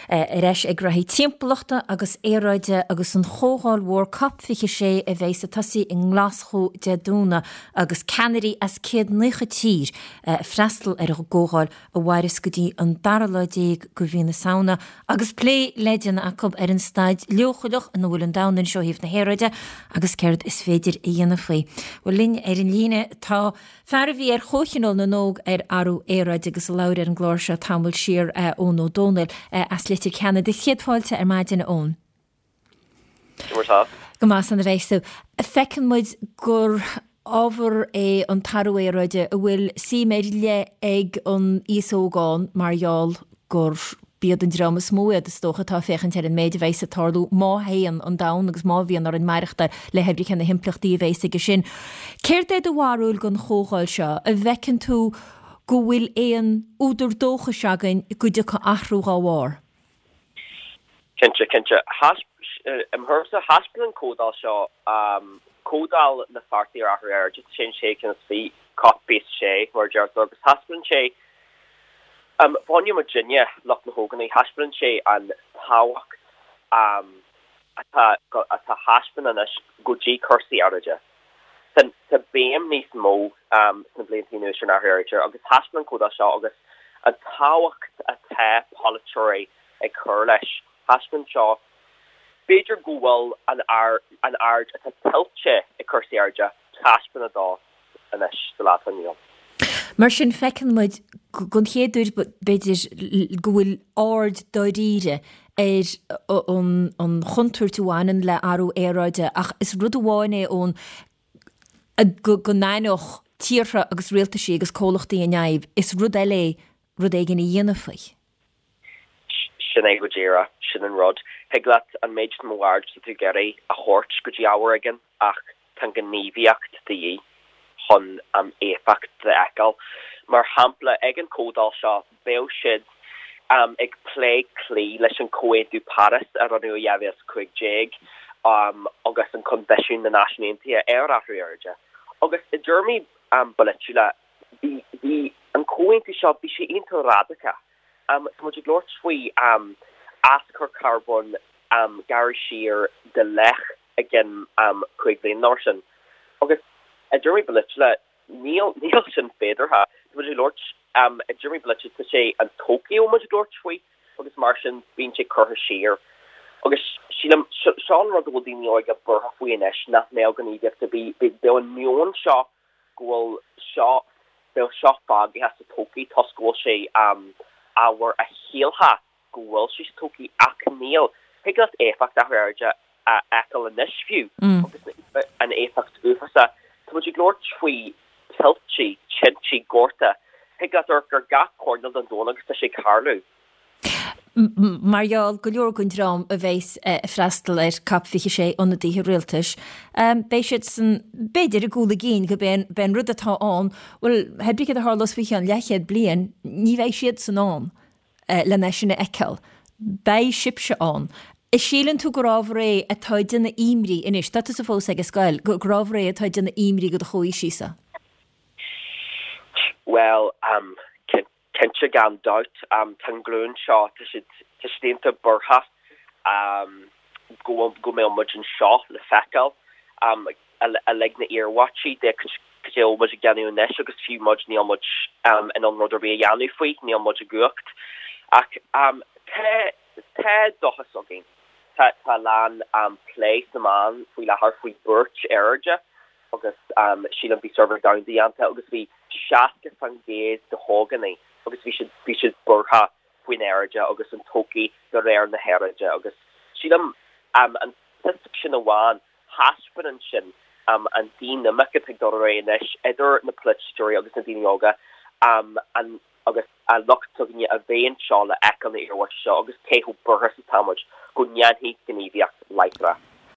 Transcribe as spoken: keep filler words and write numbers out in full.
Ar ais ag ráithe timpeallachta agus aeráide agus an chomhdháil mhór COP fiche sé a bheidh ag tosú i nGlaschú Dé Domhnaigh agus ceannairí as céad naocha tír ag freastal ar an gcomhdháil a mhairfeas go dtí an dara lá déag de mhí na Samhna agus plé le déanamh acu ar an staid leochaileach ina bhfuil an domhan anseo ó thaobh na haeráide agus céard is féidir a dhéanamh faoi. Bhuel linn ar an líne tá fear a bhí ar Chomhthionól na nÓg ar athrú aeráide agus a labhair ar an gclár seo tamall siar Eoin Ó Dónaill as Leitir Ceanainn. Céad fáilte ar maidin a Eoin. Go maith san a bheidh tú. Feiceann muid gur ábhar é an t-athrú aeráide a bhfuil suim ar leith ag an aos óg ann mar gheall gur b'iad an dream is mó iad is dócha atá ag féachaint ar an méid a bheidh ag tarlú má théann an domhan agus má bhíonn orainn maireachtáil le hoibre cé na himpleachtaí a bheas aige sin. Céard é do bharúil den chomhdháil seo? An bhfeiceann tú go bhfuil aon údar dóchais againn go dtiocfaidh athrú dhá bharr? Cinnte, cinnte. I mo thuairimse, thaispeáin an comhdháil seo, comhdháil na pháirtí ar athrú aeráide, sé an sé cinn is fiche, COP fiche sé, mar a deirtear, agus thaispeáin sé, fá choinne muidinne, lucht na hógánaigh, thaispeáin sé an tábhacht atá atá thaispeáin anois go dtí cúrsaí aeráide. Tá tá béim níos mó sna blianta anuas ar an athrú aeráide agus thaispeáin an comhdháil seo agus an tábhacht atá polaiteoirí ag cur leis. Thaispeáin seo b'fhéidir go bhfuil an an aird atá tuillte ag cúrsaí aeráide taispeánadh dó anois sa lá atá inniu ann. Mar sin feiceann muid don chéad uair b'fhéidir go bhfuil aird dáiríre ar an chontúirt a bhaineann le athrú aeráide ach is rud amháin é ón go n-aithneodh tíortha agus rialtaisí agus comhlachtaí an fhadhb, is rud eile é rud éigin a dhéanamh faoi. Sin é go díreach, sin an rud. Thig leat an méid is mó aird is atá tú ag iarraidh a thabhairt go dtí ábhar éigin ach tá an ghníomhaíocht de dhíth chun an éifeacht a fheiceáil. Mar shampla, ag an chomhdháil seo beidh siad ag plé cloí leis an Comhaontú Páras a rinneadh i dhá mhíle is a cúig déag agus an Coinbhisiún na Náisiún Aontaithe ar Athrú Aeráide. Agus i dtéarmaí polaitiúla, bhí bhí an comhaontú seo, bhí sé iontach radacach. Tá muid ag labhairt faoi aschur carbóin gearradh siar de leath i gceann cúig bhliain nó mar sin. Agus i dtéarmaí polaitiúla, níl níl sin féideartha. Tá muid ag labhairt i dtéarmaí polaitiúla, tá sé an todhchaí a bhfuil muid ag labhairt faoi agus mar sin bíonn sé curtha siar. Agus sílim, seo an rud a bhfuil daoine óga buartha faoi anois, nach mbeadh gníomhaíocht ar bith, beidh an meon seo go bhfuil seo, beidh seo fágaithe sa todhchaí toisc go bhfuil sé ábhar a shílfeá go bhfuil sé sa todhchaí ach níl. Thig leat éifeacht athrú aeráide a fheiceáil anois fiú agus an éifeacht uafásach. Tá muid ag labhairt faoi tuilte, tinte, gorta. Thig leat amharc ar gach coirnéal den domhan agus tá sé ag tarlú. Mar gheall go leor den dream a bheas ag freastal ar COP fiche sé, ionadaithe rialtais, beidh siadsan, b'fhéidir, i gcúl a gcinn go b'é an rud atá ann, bhuel, hé brí céard a tharlós faoi cheann leathchéad bliain, ní bheidh siadsan ann lena sin a fheiceáil. Beidh sibhse ann. An síleann tú gur ábhar é atá ag déanamh imní anois, tá tusa fós ag an scoil, gur ábhar é atá ag déanamh imní do do chomhaoisigh-sa? Bhuel, cinnte gan dabht. Tá an ghlúin seo, tá siad, tá siad iontach buartha go bhfuil, go mbeidh muid anseo le feiceáil uilig na iarmhairtí de cad é a bhfuil muid ag déanamh anois agus fiú muid, níl muid in ann rud ar bith a dhéanamh faoi, níl muid i gcumhacht. Ach tá, tá dóchas againn. Tá, tá a lán plé sna meáin faoi láthair faoi buairt aeráide. agus sílim bhí suirbhé domhanda déanta agus bhí seasca faoin gcéad de hógánaigh agus bhí siad bhí siad buartha faoin aeráide agus an todhchaí de réir na haeráide agus sílim an statistic sin amháin thaispeánann sin an dinimic atá ag dul ar aghaidh anois idir na polaiteoirí agus na daoine óga an agus an lucht s'againne a bheidh anseo le feiceáil na iarmhairtí seo agus cé chomh buartha is atá muid go ndéanfaidh gníomhaíocht láithreach.